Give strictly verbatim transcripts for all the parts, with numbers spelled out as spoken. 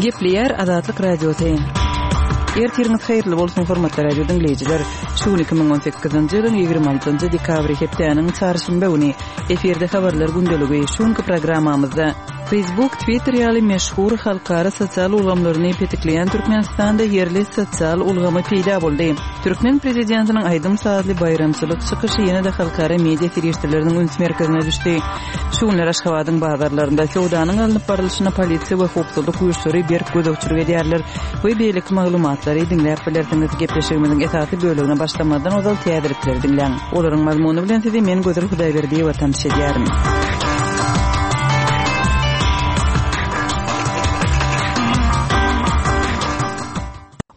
Gepleýär Azatlyk Radiosy. Ertiriňiz haýyrly bolsun, hormatly radio diňleýjiler. Şu gün iki müň on sekizinji ýylyň ýigrimi altynjy dekabry hepdäniň çarşenbe güni. Efirde habarlar gündeligi. Şu günki programmamyzda Facebook, Twitter ýaly meşhur halkara sosial ulgamlaryny petikleýän Türkmenistanda ýerli sosial ulgamy peýda boldy. Türkmen prezidentiniň aýdym-sazly baýramçylyk çykyşy ýene-de halkara media serişdeleriniň üns merkezine düşdi. Şu günler Aşgabadyň bazarlarynda söwdanyň alnyp barlyşyna polisiýa we howpsuzlyk güýçleri berk gözegçilik edýärler we beýleki maglumatlary diňläp bilersiňiz. Gepleşigimiziň esasy bölegine başlamazdan ozal täzelikleri diňläň. Olaryň mazmuny bilen sizi men Gözel Hudaýberdiýewa tanyş edýärin.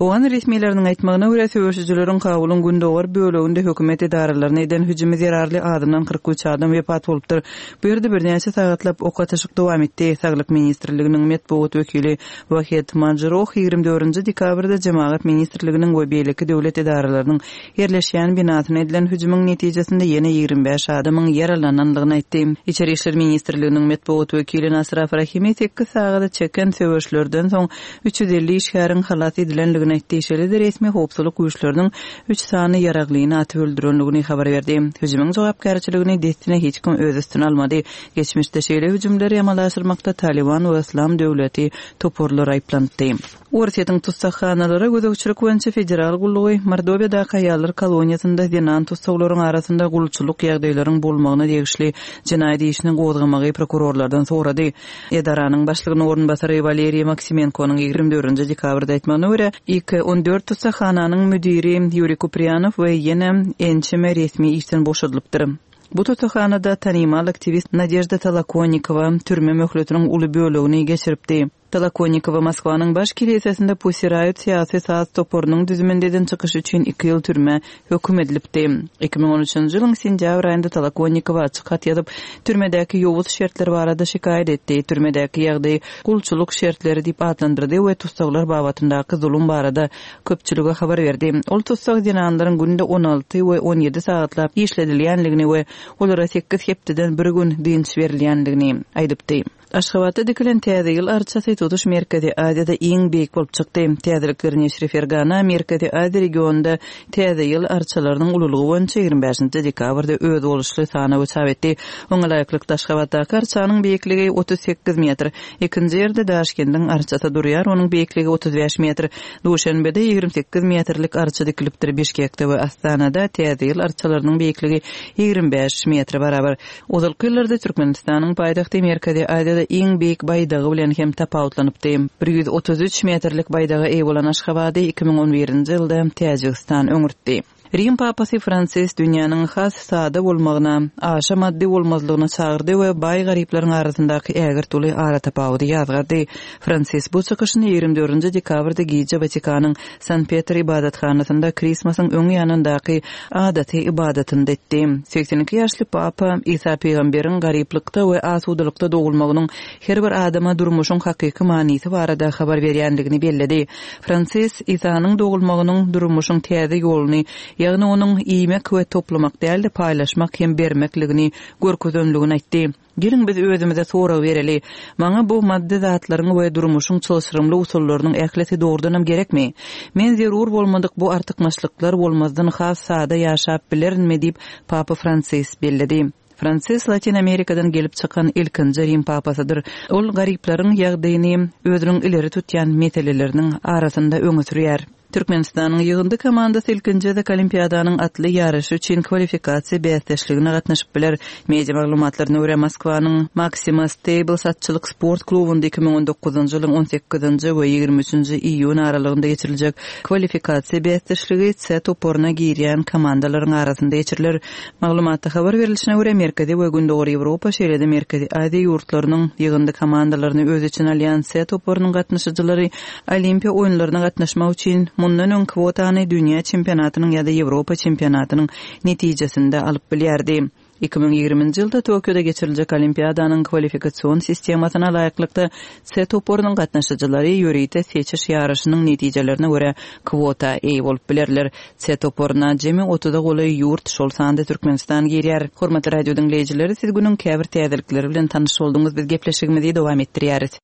Owgan resmileriniň aýtmagyna görä, söweşijileriň Kabulyň gündogar böleginde hökümet edaralaryna eden hüjümi zerarly azyndan kyrk üç adam wepat bolupdyr. Bu ýerde birnäçe sagatlap ok atyşyk dowam etdi. Saglyk ministrliginiň metbugat wekili Wahed Majruh ýigrimi dördünji dekabrda Jemagat ministrliginiň we beýleki döwlet edaralarynyň ýerleşýän binasyna edilen hüjümiň netijesinde ýene ýigrimi bäş adamyň ýaralanandygyny aýtdy. Içeri işler ministrliginiň metbugat wekili Nasraf Rahimi sekiz sagada çeken söweşlerden soň üç ýüz elli işgäriň halas edilendigini aýtdy. Şeýle-de resmi howpsuzlyk güýçleriniň üç sany ýaraglyny atyp öldürendigini habar berdi. Hüjümiň jogapkärçiligini dessine hiç kim öz üstüne almady. Geçmişde şeýle hüjümleri amala aşyrmakda Taliban we Islam döwleti toparlary aýyplandy. Orsýetiň tussaghanalary gözegçilik boýunça federal gullugy Mordowiýadaky aýallar koloniýasynda zenan tussaglaryň arasynda gulçulyk ýagdaýlaryň bolmagyna degişli jenaýat işini gozgamagy prokurorlardan sorady. Edaranyň başlygynyň orunbasary Waleriý Maksimenkonyň ýigrimi dördünji dekabrda aýtmagyna görä, iki on dört tussaghananyň müdiri Ýuriý Kupriýanow we ýene ençeme resmi işden boşadylypdyr. Bu tussaghanada tanymal aktiwist Nadežda Tolokonikowa türme möhletiniň uly bölegini geçiripdi. Tolokonikowa Moskwanyň baş kilisesinde Pussy Riot syýasy saz toparynyň düzüminde eden çykyşy üçin iki ýyl türme höküm edilipdi. Iki müň on üçünji ýylyň sentýabr aýynda Tolokonikowa açyk hat ýazyp, türmedäki ýowuz şertler barada şikaýat etdi. Türmedäki ýagdaý gulçulyk şertleri diýip atlandyrdy we tussaglar babatyndaky zulum barada köpçülige habar berdi. Ol tussag zenanlaryň günde on alty we on ýedi sagatlap işledilýänligini we olara sekiz hepdeden bir gün dynç berilýänligini aýdypdy. Aşgabatda dikilen täze ýyl arçasy tutuş Merkezi Aziýada iň beýik bolup çykdy. Täzelikler neşiri Fergana Merkezi Aziýa regionynda täze ýyl arçalarynyň ululygy boýunça ýigrimi bäşinji dekabrda özboluşly sanawy çap etdi. Oňa laýyklykda Aşgabatdaky arçanyň beýikligi otuz sekiz metr, ikinji ýerde Daşkendiň arçasy durýar, onuň beýikligi otuz bäş metr. Duşenbede ýigrimi sekiz metrlik arça dikilipdir. Bişkekde we Astanada täze ýyl arçalarynyň beýikligi ýigrimi bäş metre barabar. Ozalky ýyllarda Türkmenistanyň paýtagty Merkezi Aziýada iň beýik baýdagy bilen hem tapawutlanypdy. Bir ýüz otuz üç metrlik baýdaga eýe bolan Aşgabady iki müň on birinji ýylda Täjigistan öňürtdi. Rim papasy Fransis dünýäniň has sada bolmagyna, aşa maddy bolmazlygyna çagyrdy we baý garyplaryň arasyndaky ägirt uly ara tapawudy ýazgardy. Fransis bu çykyşyny ýigrimi dördünji dekabrda gije Watikanyň San Petr ibadathanasynda Krismasyň öň ýanyndaky adaty ibadatynda etdi. Seksen iki ýaşly papa Isa pygamberiň garyplykda we asudalykda dogulmagynyň her bir adama durmuşyň hakyky manysy barada habar berýänligini belledi. Fransis Isanyň dogulmagynyň durmuşyň täze ýoluny, ýagny onuň iýmek we toplamak däl-de paýlaşmak hem bermekligini görkezenligini aýtdy. Geliň biz özümize sorag bereli. Maňa bu maddy zatlaryň we durmuşyň çylşyrymly usullarynyň ählisi dogrudanam gerekmi? Men zerur bolmadyk bu artykmaçlyklar bolmazdan has sada ýaşap bilerinmi diýip Papa Fransis belledi. Fransis Latin Amerikadan gelip çykan ilkinji Rim papasydyr. Ol garyplaryň ýagdaýyny özüniň ileri tutýan meseleleriniň arasynda öňe sürýär. Türkmenistanyň ýygyndy komandasy ilkinji gezek Olimpiadanyň atly ýaryşy üçin kwalifikasiýa bäsdeşligine gatnaşyp biler. Media maglumatlaryna görä Moskwanyň Maxima Stables atçylyk sport klubunda iki müň on dokuzynjy ýylyň on sekizinji we ýigrimi üçünji iýun aralygynda geçiriljek kwalifikasiýa bäsdeşligi C toparyna girýän komandalaryň arasynda geçiriler. Maglumatda habar berilişine görä Merkezi we Gündogar Ýewropa, şeýle-de Merkezi Aziýa ýurtlarynyň ýygyndy komandalaryny öz içine alýan C toparynyň gatnaşyjylary Olimpiýa oýunlaryna gatnaşmak üçin mundan öň kwotany dünýä çempionatynyň ýa-da Ýewropa çempionatynyň netijesinde alyp bilýärdi. Iki müň ýigriminji ýylda Tokioda geçiriljek Olimpiadanyň kwalifikasion sistemasyna laýyklykda C toparynyň gatnaşyjylary ýörite seçiş ýaryşynyň netijelerine görä kwota eýe bolup bilerler. C toparyna jemi otuza golaý ýurt, şol sanda Türkmenistan girýär. Hormatly radio diňleýjileri, siz günüň käbir täzelikleri bilen tanyş bolduňyz. Biz gepleşigimizi dowam etdirýäris.